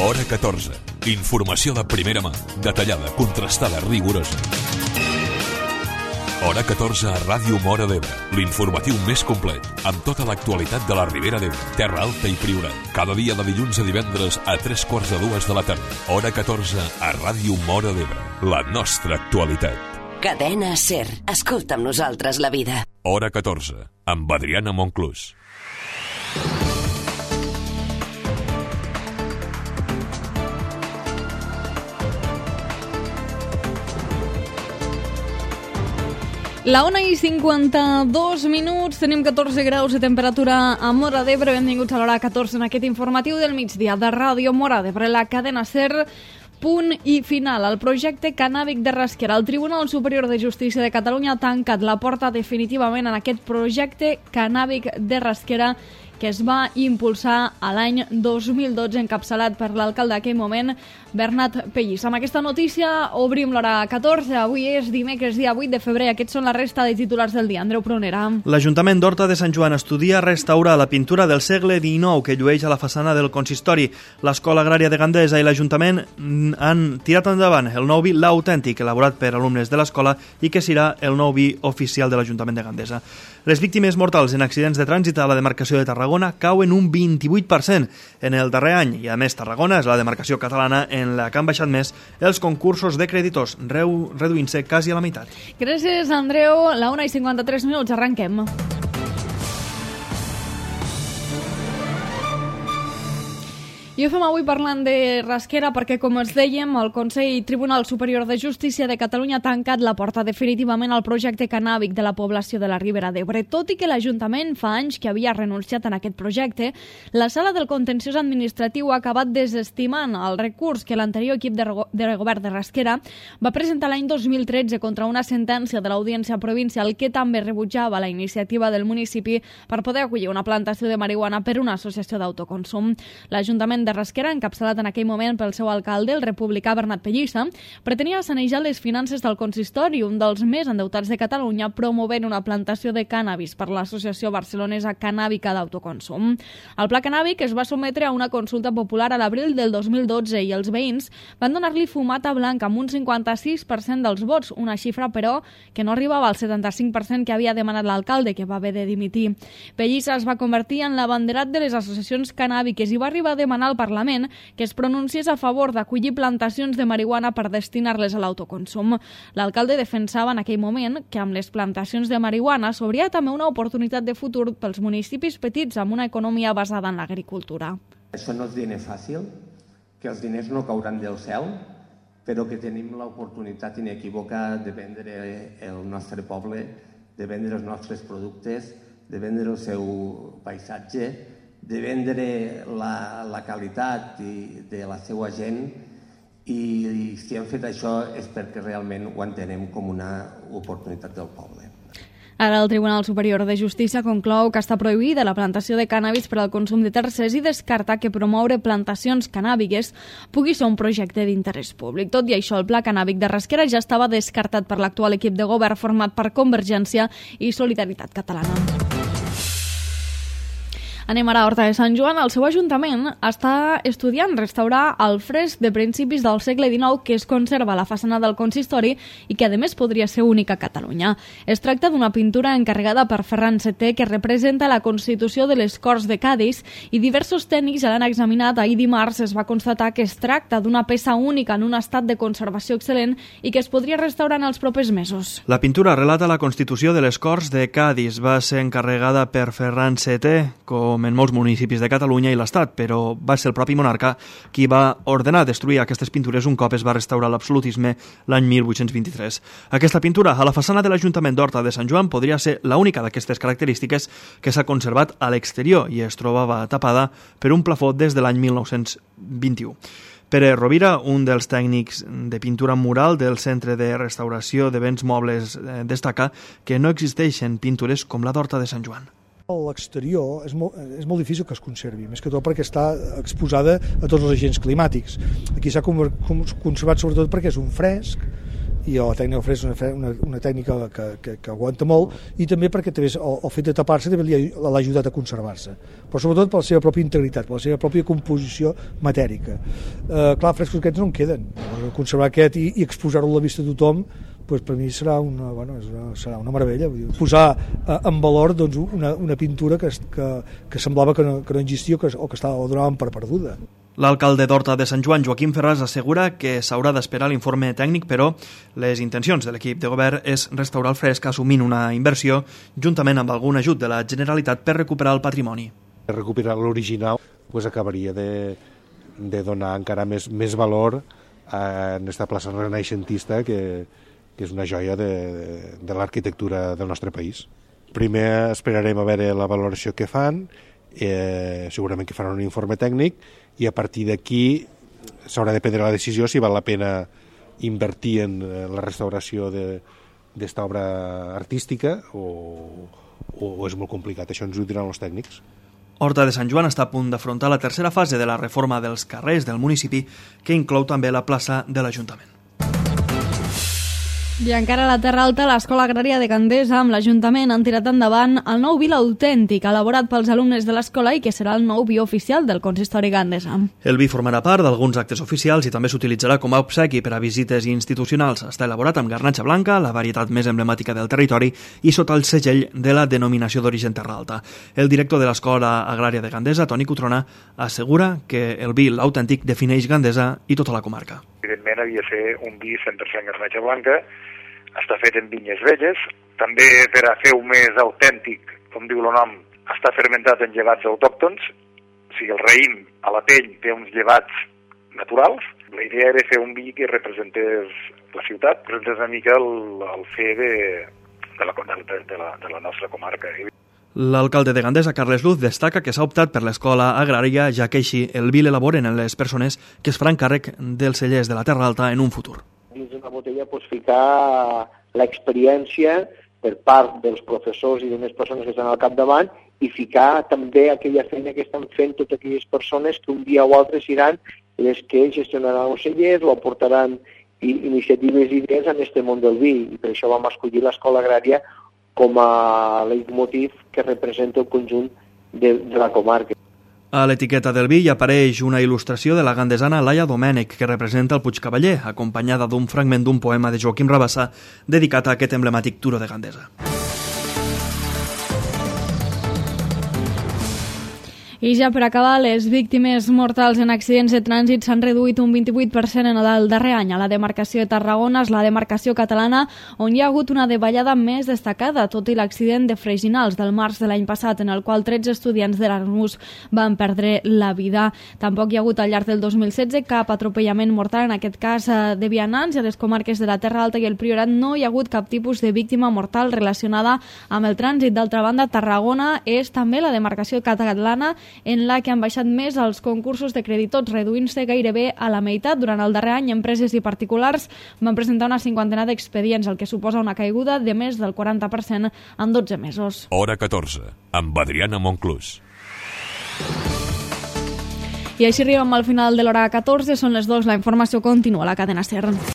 Hora 14. Informació de primera mà, detallada, contrastada, rigorosa. Hora 14 a Ràdio Móra d'Ebre, l'informatiu més complet, amb tota l'actualitat de la Ribera d'Ebre, Terra Alta i Priorat. Cada dia de dilluns a divendres a 3:45 de la tarda. Hora 14 a Ràdio Móra d'Ebre, la nostra actualitat. Cadena SER. Escolta amb nosaltres la vida. Hora 14, amb Adriana Monclús. La 1:52 minuts, tenim 14 graus de temperatura a Móra d'Ebre. Benvinguts a l'hora 14 en aquest informatiu del migdia de Ràdio Móra d'Ebre, la cadena SER. Punt i final. El projecte cannàbic de Rasquera. El Tribunal Superior de Justícia de Catalunya ha tancat la porta definitivament en aquest projecte cannàbic de Rasquera que es va impulsar a l'any 2012, encapçalat per l'alcalde d'aquell moment, Bernat Pellís. Amb aquesta notícia obrim l'hora 14. Avui és dimecres, dia 8 de febrer. Aquests són la resta de titulars del dia. Andreu Prunera. L'Ajuntament d'Horta de Sant Joan estudia restaurar la pintura del segle XIX que llueix a la façana del consistori. L'Escola Agrària de Gandesa i l'Ajuntament han tirat endavant el nou vi L'Autèntic, elaborat per alumnes de l'escola i que serà el nou vi oficial de l'Ajuntament de Gandesa. Les víctimes mortals en accidents de trànsit a la demarcació de Tarragona cauen un 28% en el darrer any i, a més, Tarragona és la demarcació catalana en la que han baixat més els concursos de creditors, reduint-se quasi a la meitat. Gràcies, Andreu. La 1:53 minuts, arrenquem. I ho fem avui parlant de Rasquera perquè, com els dèiem, el Consell Tribunal Superior de Justícia de Catalunya ha tancat la porta definitivament al projecte cannàbic de la població de la Ribera d'Ebre. Tot i que l'Ajuntament fa anys que havia renunciat en aquest projecte, la Sala del Contenciós Administratiu ha acabat desestimant el recurs que l'anterior equip de govern de Rasquera va presentar l'any 2013 contra una sentència de l'Audiència Provincial que també rebutjava la iniciativa del municipi per poder acollir una plantació de marihuana per una associació d'autoconsum. L'Ajuntament de Rasquera, encapçalat en aquell moment pel seu alcalde, el republicà Bernat Pellissa, pretenia sanejar les finances del consistori, un dels més endeutats de Catalunya, promovent una plantació de cànnabis per l'Associació Barcelonesa Cannàbica d'Autoconsum. El pla cannàbic es va sotmetre a una consulta popular a l'abril del 2012 i els veïns van donar-li fumata blanca amb un 56% dels vots, una xifra, però, que no arribava al 75% que havia demanat l'alcalde, que va haver de dimitir. Pellissa es va convertir en l'abanderat de les associacions cannàbiques i va arribar a demanar al Parlament que es pronunciés a favor d'acollir plantacions de marihuana per destinar-les a l'autoconsum. L'alcalde defensava en aquell moment que amb les plantacions de marihuana s'obria també una oportunitat de futur pels municipis petits amb una economia basada en l'agricultura. Això no és diner fàcil, que els diners no cauran del cel, però que tenim l'oportunitat inequívoca de vendre el nostre poble, de vendre els nostres productes, de vendre el seu paisatge, de vendre la qualitat de la seva gent i si hem fet això és perquè realment ho entenem com una oportunitat del poble. Ara el Tribunal Superior de Justícia conclou que està prohibida la plantació de cànnabis per al consum de tercers i descarta que promoure plantacions cannàbiques pugui ser un projecte d'interès públic. Tot i això, el pla cannàbic de Rasquera ja estava descartat per l'actual equip de govern format per Convergència i Solidaritat Catalana. Anem ara a Horta de Sant Joan. El seu ajuntament està estudiant restaurar el fresc de principis del segle XIX que es conserva a la façana del consistori i que, a més, podria ser única a Catalunya. Es tracta d'una pintura encarregada per Ferran VII que representa la Constitució de les Corts de Cadis i diversos tècnics ja l'han examinat. Ahir dimarts es va constatar que es tracta d'una peça única en un estat de conservació excel·lent i que es podria restaurar en els propers mesos. La pintura relata la Constitució de les Corts de Cadis. Va ser encarregada per Ferran VII, com en molts municipis de Catalunya i l'Estat, però va ser el propi monarca qui va ordenar destruir aquestes pintures un cop es va restaurar l'absolutisme l'any 1823. Aquesta pintura a la façana de l'Ajuntament d'Horta de Sant Joan podria ser l'única d'aquestes característiques que s'ha conservat a l'exterior i es trobava tapada per un plafó des de l'any 1921. Pere Rovira, un dels tècnics de pintura mural del Centre de Restauració de Béns Mobles, destaca que no existeixen pintures com la d'Horta de Sant Joan. L'exterior és molt difícil que es conservi, més que tot perquè està exposada a tots els agents climàtics. Aquí s'ha conservat sobretot perquè és un fresc i la tècnica fresc és una tècnica que aguanta molt, i també perquè també el fet de tapar-se també l'ha ajudat a conservar-se, però sobretot per la seva pròpia integritat, per la seva pròpia composició matèrica. Clar, frescos aquests no en queden. Conservar aquest i exposar-ho a la vista de tothom, doncs per mi serà una meravella. Posar en valor doncs, una pintura que semblava que no existia o que la donaven per perduda. L'alcalde d'Horta de Sant Joan, Joaquim Ferràs, assegura que s'haurà d'esperar l'informe tècnic, però les intencions de l'equip de govern és restaurar el fresc assumint una inversió juntament amb algun ajut de la Generalitat per recuperar el patrimoni. Recuperar l'original acabaria de donar encara més valor a aquesta plaça renaixentista que és una joia de l'arquitectura del nostre país. Primer esperarem a veure la valoració que fan, segurament que faran un informe tècnic, i a partir d'aquí s'haurà de prendre la decisió si val la pena invertir en la restauració d'esta obra artística o és molt complicat. Això ens ho diran els tècnics. Horta de Sant Joan està a punt d'afrontar la tercera fase de la reforma dels carrers del municipi, que inclou també la plaça de l'Ajuntament. I encara a la Terra Alta, l'Escola Agrària de Gandesa amb l'Ajuntament han tirat endavant el nou vi autèntic elaborat pels alumnes de l'escola i que serà el nou vi oficial del consistori gandesa. El vi formarà part d'alguns actes oficials i també s'utilitzarà com a obsequi per a visites institucionals. Està elaborat amb garnatxa blanca, la varietat més emblemàtica del territori, i sota el segell de la denominació d'origen Terra Alta. El director de l'Escola Agrària de Gandesa, Toni Cotrona, assegura que el vi autèntic defineix Gandesa i tota la comarca. Evidentment havia de ser un vi 100% garnatxa blanca, està fet en vinyes velles, també per a fer-ho més autèntic, com diu el nom, està fermentat en llevats autòctons, o sigui, el raïm a la pell té uns llevats naturals. La idea era fer un vi que representés la ciutat, representés una mica el fer de la nostra comarca. L'alcalde de Gandesa, Carles Luz, destaca que s'ha optat per l'escola agrària, ja que així el vi l'elaboren les persones que es faran càrrec dels cellers de la Terra Alta en un futur. Dins d'una botella ficar l'experiència per part dels professors i de les persones que estan al capdavant i ficar també aquella feina que estan fent totes aquelles persones que un dia o altre seran les que gestionaran els cellers o aportaran iniciatives i idees en aquest món del vi. I per això vam escollir l'escola agrària com a leitmotiv que representa el conjunt de la comarca. A l'etiqueta del vi hi apareix una il·lustració de la gandesana Laia Domènech, que representa el Puigcavaller, acompanyada d'un fragment d'un poema de Joaquim Rabassa dedicat a aquest emblemàtic turó de Gandesa. I ja per acabar, les víctimes mortals en accidents de trànsit s'han reduït un 28% en el darrer any. A la demarcació de Tarragona és la demarcació catalana on hi ha hagut una davallada més destacada, tot i l'accident de Freginals del març de l'any passat, en el qual 13 estudiants d'Erasmus van perdre la vida. Tampoc hi ha hagut al llarg del 2016 cap atropellament mortal, en aquest cas de vianants, i a les comarques de la Terra Alta i el Priorat no hi ha hagut cap tipus de víctima mortal relacionada amb el trànsit. D'altra banda, Tarragona és també la demarcació catalana en la que han baixat més els concursos de creditors, reduint-se gairebé a la meitat. Durant el darrer any, empreses i particulars van presentar una 50ena d'expedients, el que suposa una caiguda de més del 40% en 12 mesos. Hora 14, amb Adriana Monclús. I així arribem al final de l'hora 14, són les 2, la informació continua a la cadena SER.